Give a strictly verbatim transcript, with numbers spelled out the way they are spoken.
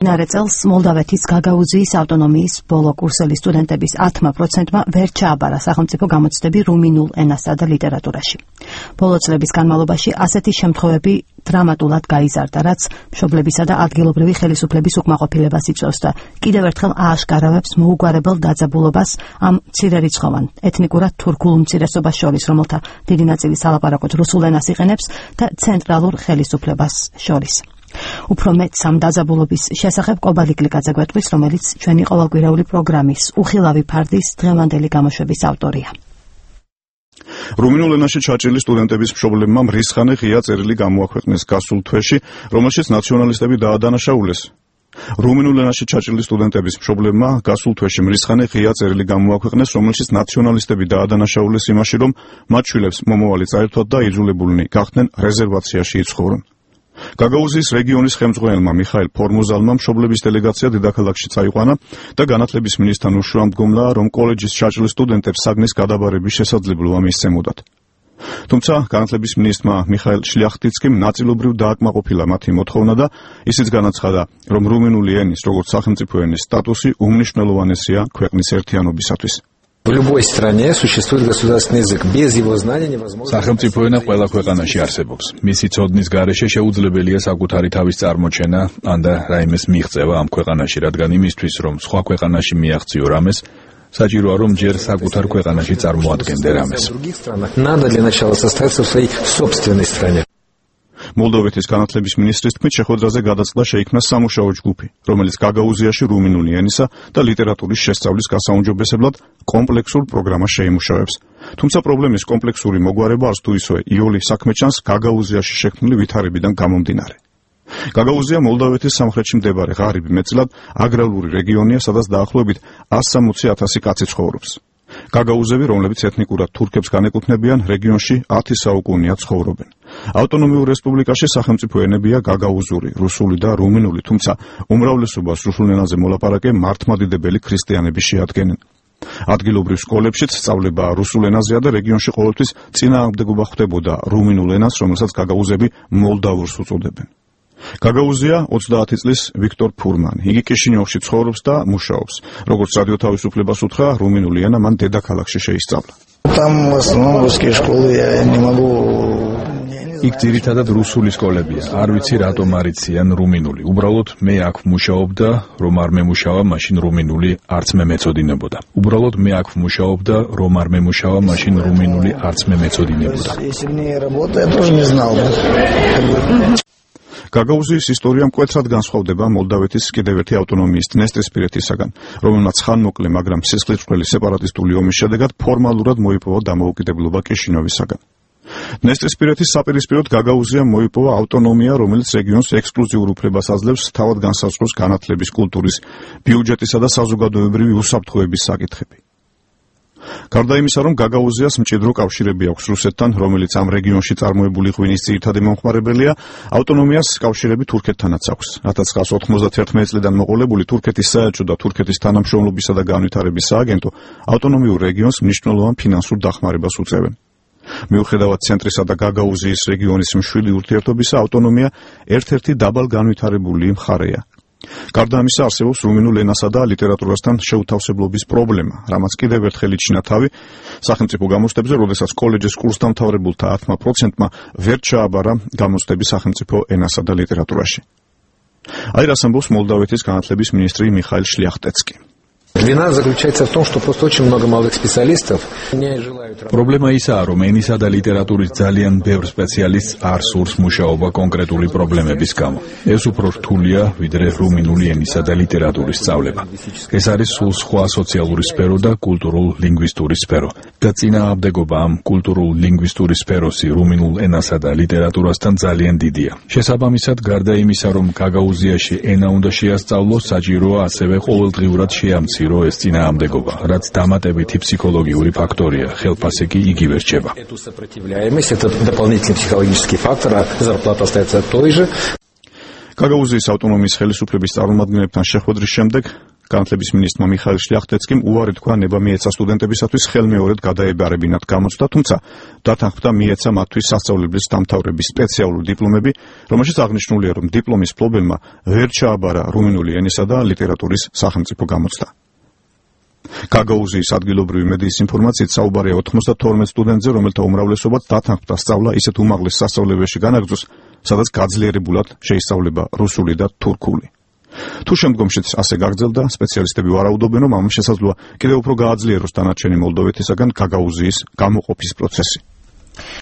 მდინარე წელს მოლდავეთის გაგაუზიის ავტონომიის ბოლო კურსელი სტუდენტების ათმა პროცენტმა ვერ ჩააბარა სახელმწიფო გამოცდები რუმინულ ენასა და ლიტერატურაში. ბოლო წლების განმავლობაში ასეთი შემთხვევები დრამატულად გაიზარდა, რაც მშობლებისა და ადგილობრივი ხელისუფლების უკმაყოფილებას იწვევს და კიდევ ერთხელ ააშკარავებს მოუგვარებელ დაძაბულობას ამ მცირერიცხოვან ეთნიკურად თურქულ უმცირესობას შორის, რომელთა დიდი ნაწილი სალაპარაკოდ რუსულ ენას იყენებს და ცენტრალურ ხელისუფლებას შორის. უფრო მეტ სამ დაძაბულობის შესახებ კობალი გლიკაძე გვეტყვის, რომელიც ჩვენი ყოველკვირეული პროგრამის უხილავი ფარდის დღევანდელი გამოშვების ავტორია. რუმინულ ენაში ჩაჭრილი სტუდენტების მშობლებმა მრისხანე ღია წერილი გამოაქვეყნეს გასულ თვეში, რომელშიც ნაციონალისტები დაადანაშაულეს. რუმინულ ენაში ჩაჭრილი სტუდენტების მშობლებმა გასულ თვეში მრისხანე ღია წერილი გამოაქვეყნეს, რომელშიც ნაციონალისტები დაადანაშაულეს იმაში, რომ მათ შვილებს მომავალი წაერთვათ და იძულებულნი გახდნენ რეზერვაციაში იცხოვრონ. გაგაუზიის რეგიონის ხელმძღვანელმა მიხაილ ფორმუზალმა მშობლების დელეგაცია დედაქალაქში წაიყვანა და განათლების მინისტრთან უშუალმდგომლა, რომ კოლეჯის ჩაჭრილ სტუდენტებს საგნის გადაბარების შესაძლებლობა მისცემოდათ. თუმცა განათლების მინისტრმა მიხაილ შლიახტიცკიმ ნაწილობრივ დააკმაყოფილა მათი მოთხოვნა და ისიც განაცხადა, რომ რუმინული ენის როგორც სახელმწიფო ენის სტატუსი უმნიშვნელოვანესია ქვეყნის ერთიანობისათვის. В любой стране существует государственный язык. Без его знания невозможно. სახელმწიფო ენა ყველა ქვეყანაში არსებობს. მისი ცოდნის გარეშე შეუძლებელია საკუთარი თავის წარმოჩენა, ან და რაიმეს მიღწევა ამ ქვეყანაში, რადგან იმისთვის, რომ სხვა ქვეყანაში მიაღწიო რამეს, საჭიროა, რომ ჯერ საკუთარ ქვეყანაში წარმოადგენდე რამეს. Надо для начала состояться в своей собственной стране. მოლდოვეთის განათლების მინისტრის თქმით, შეხვედრაზე გადაწყდა შეიქმნა სამუშაო ჯგუფი, რომელიც გაგაუზიაში რუმინული ენისა და ლიტერატურის შესწავლის გასაუმჯობესებლად კომპლექსურ პროგრამას შეიმუშავებს. თუმცა პრობლემის კომპლექსური მოგვარება არც თუ ისე იოლი საქმე ჩანს გაგაუზიაში შექმნილი ვითარებიდან გამომდინარე. გაგაუზია მოლდოვეთის სამხრეთში მდებარე ღარიბი მეტწილად აგრარული რეგიონია, სადაც დაახლოებით ათს სამოცი ათასი კაცი ცხოვრობს. გაგაუზები, რომლებიც ეთნიკურად თურქებს განეკუთვნებიან, რეგიონში ათი საუკუნეა ცხოვრობენ. ავტონომიურ რესპუბლიკაში სახელმწიფო ენებია გაგაუზური, რუსული და რუმინული, თუმცა უმრავლესობას რუსულ ენაზე მოლაპარაკე მართლმადიდებელი ქრისტიანები შეადგენენ. ადგილობრივ სკოლებშიც სწავლება რუსულ ენაზეა და რეგიონში ყოველთვის წინააღმდეგობა ხდებოდა რუმინულ ენას, რომელსაც გაგაუზები მოლდავურს უწოდებენ. გაგაუზია ოცდაათი წლის ვიქტორ ფურმანი. იგი კიშინიოვში ცხოვრობს და მუშაობს. როგორც რადიო თავისუფლებას უთხრა, რუმინული ენა მან დედაქალაქში შეისწავლა. Там в основном русские школы, я не могу. იქ ძირითადად რუსული სკოლებია. არ ვიცი რატომ არ იციან რუმინული. უბრალოდ მე აქ ვმუშაობდა, რომ არ მემუშავა, მაშინ რუმინული არც მე მეწოდინებოდა. უბრალოდ მე აქ ვმუშაობდა, რომ არ მემუშავა, მაშინ რუმინული არც მე მეწოდინებოდა. Если бы не работа, я тоже не знал бы. გაგაუზიის ისტორია მკვეთრად განსხვავდება მოლდავეთის კიდევ ერთი ავტონომიის დნესტრისპირეთისაგან, რომელმაც ხანმოკლე, მაგრამ სისხლისმღვრელი სეპარატისტული ომის შედეგად ფორმალურად მოიპოვა დამოუკიდებლობა კიშინიოვისაგან. დნესტრისპირეთის საპირისპიროდ გაგაუზიამ მოიპოვა ავტონომია, რომელიც რეგიონს ექსკლუზიურ უფლებას აძლევს თავად განსაზღვროს განათლების, კულტურის, ბიუჯეტისა და საზოგადოებრივი უსაფრთხოების საკითხები. გარდა იმისა, რომ გაგაუზიას მჭიდრო კავშირები აქვს რუსეთთან, რომელიც ამ რეგიონში წარმოებული ღვინის ძირითადი მომხმარებელია, ავტონომიას კავშირები თურქეთთანაც აქვს. ათას ცხრაასი ოთხმოცდათერთმეტი წლიდან მოყოლებული თურქეთის საელჩო და თურქეთის თანამშრომლობისა და განვითარების სააგენტო ავტონომიურ რეგიონს მნიშვნელოვან ფინანსურ დახმარებას უწევენ. მიუხედავად ცენტრისა და გაგაუზიის რეგიონის მშვიდი ურთიერთობისა, ავტონომია ერთ-ერთი დაბალ განვითარებული მხარეა. გარდა ამისა, არსებობს რუმინულ ენასა და ლიტერატურასთან შეუთავსებლობის პრობლემა, რამაც კიდევ ერთხელ იჩინა თავი სახელმწიფო გამოცდებზე, როდესაც კოლეჯის კურსდამთავრებულთა ათმა პროცენტმა ვერ ჩააბარა გამოცდები სახელმწიფო ენასა და ლიტერატურაში. აი რას ამბობს მოლდავეთის განათლების მინისტრი მიხაილ შლიახტეცკი. Вина заключается в том, что просто очень много молодых специалистов не желают работать. Პრობლემა ისაა, რომ ენისა და ლიტერატურის ძალიან ბევრ სპეციალისტს არ სურს მუშაობა კონკრეტული პრობლემების გამო. ეს უფრო რთულია, ვიდრე რუმინული ენისა და ლიტერატურის სწავლება. ეს არის სულ სხვა სოციალური სფერო და კულტურულ-ლინგვისტური სფერო. და წინააღმდეგობა ამ კულტურულ-ლინგვისტური სფეროსი რუმინულ ენასა და ლიტერატურასთან ძალიან დიდია. შესაბამისად, გარდა იმისა, რომ გაგაუზიაში ენა უნდა შეასწავლოს, საჭიროა ასევე ყოველდღიურად შეამციროს ეს წინააღმდეგობა, რაც დამატებითი ფსიქოლოგიური ფაქტორია, ხელფასი კი იგივე რჩება. Эту сопротивляемость, это дополнительный психологический фактор, а зарплата остается той же. გაგაუზიის ავტონომიის ხელისუფლების წარმომადგენლებთან შეხვედრის შემდეგ განათლების მინისტრმა მიხაილ შლიახტეცკიმ უარი თქვა ნება მიეცა სტუდენტებისათვის ხელმეორედ გადაებარებინათ გამოცდა, თუმცა დათანხმდა მიეცა მათთვის სასწავლებლის დამთავრების სპეციალური დიპლომები, რომელშიც აღნიშნულია, რომ დიპლომის მფლობელმა ვერ ჩააბარა რუმინული ენისა და ლიტერატურის სახელმწიფო გამოცდა. გაგაუზიის ადგილობრივი მედიის ინფორმაციით საუბარია ოთხმოცდათორმეტ სტუდენტზე, რომელთა უმრავლესობაც დათანხმდა სწავლა ისეთ უმაღლეს სასწავლებელში განაგრძოს, სადაც გაძლიერებულად შეისწავლება რუსული და თურქული. თუ შემდგომშიც ასე გაგრძელდა, სპეციალისტები ვარაუდობენ, რომ ამის შესაძლოა კიდევ უფრო გააძლიეროს დანარჩენი მოლდოვეთისაგან გაგაუზიის გამოყოფის პროცესი.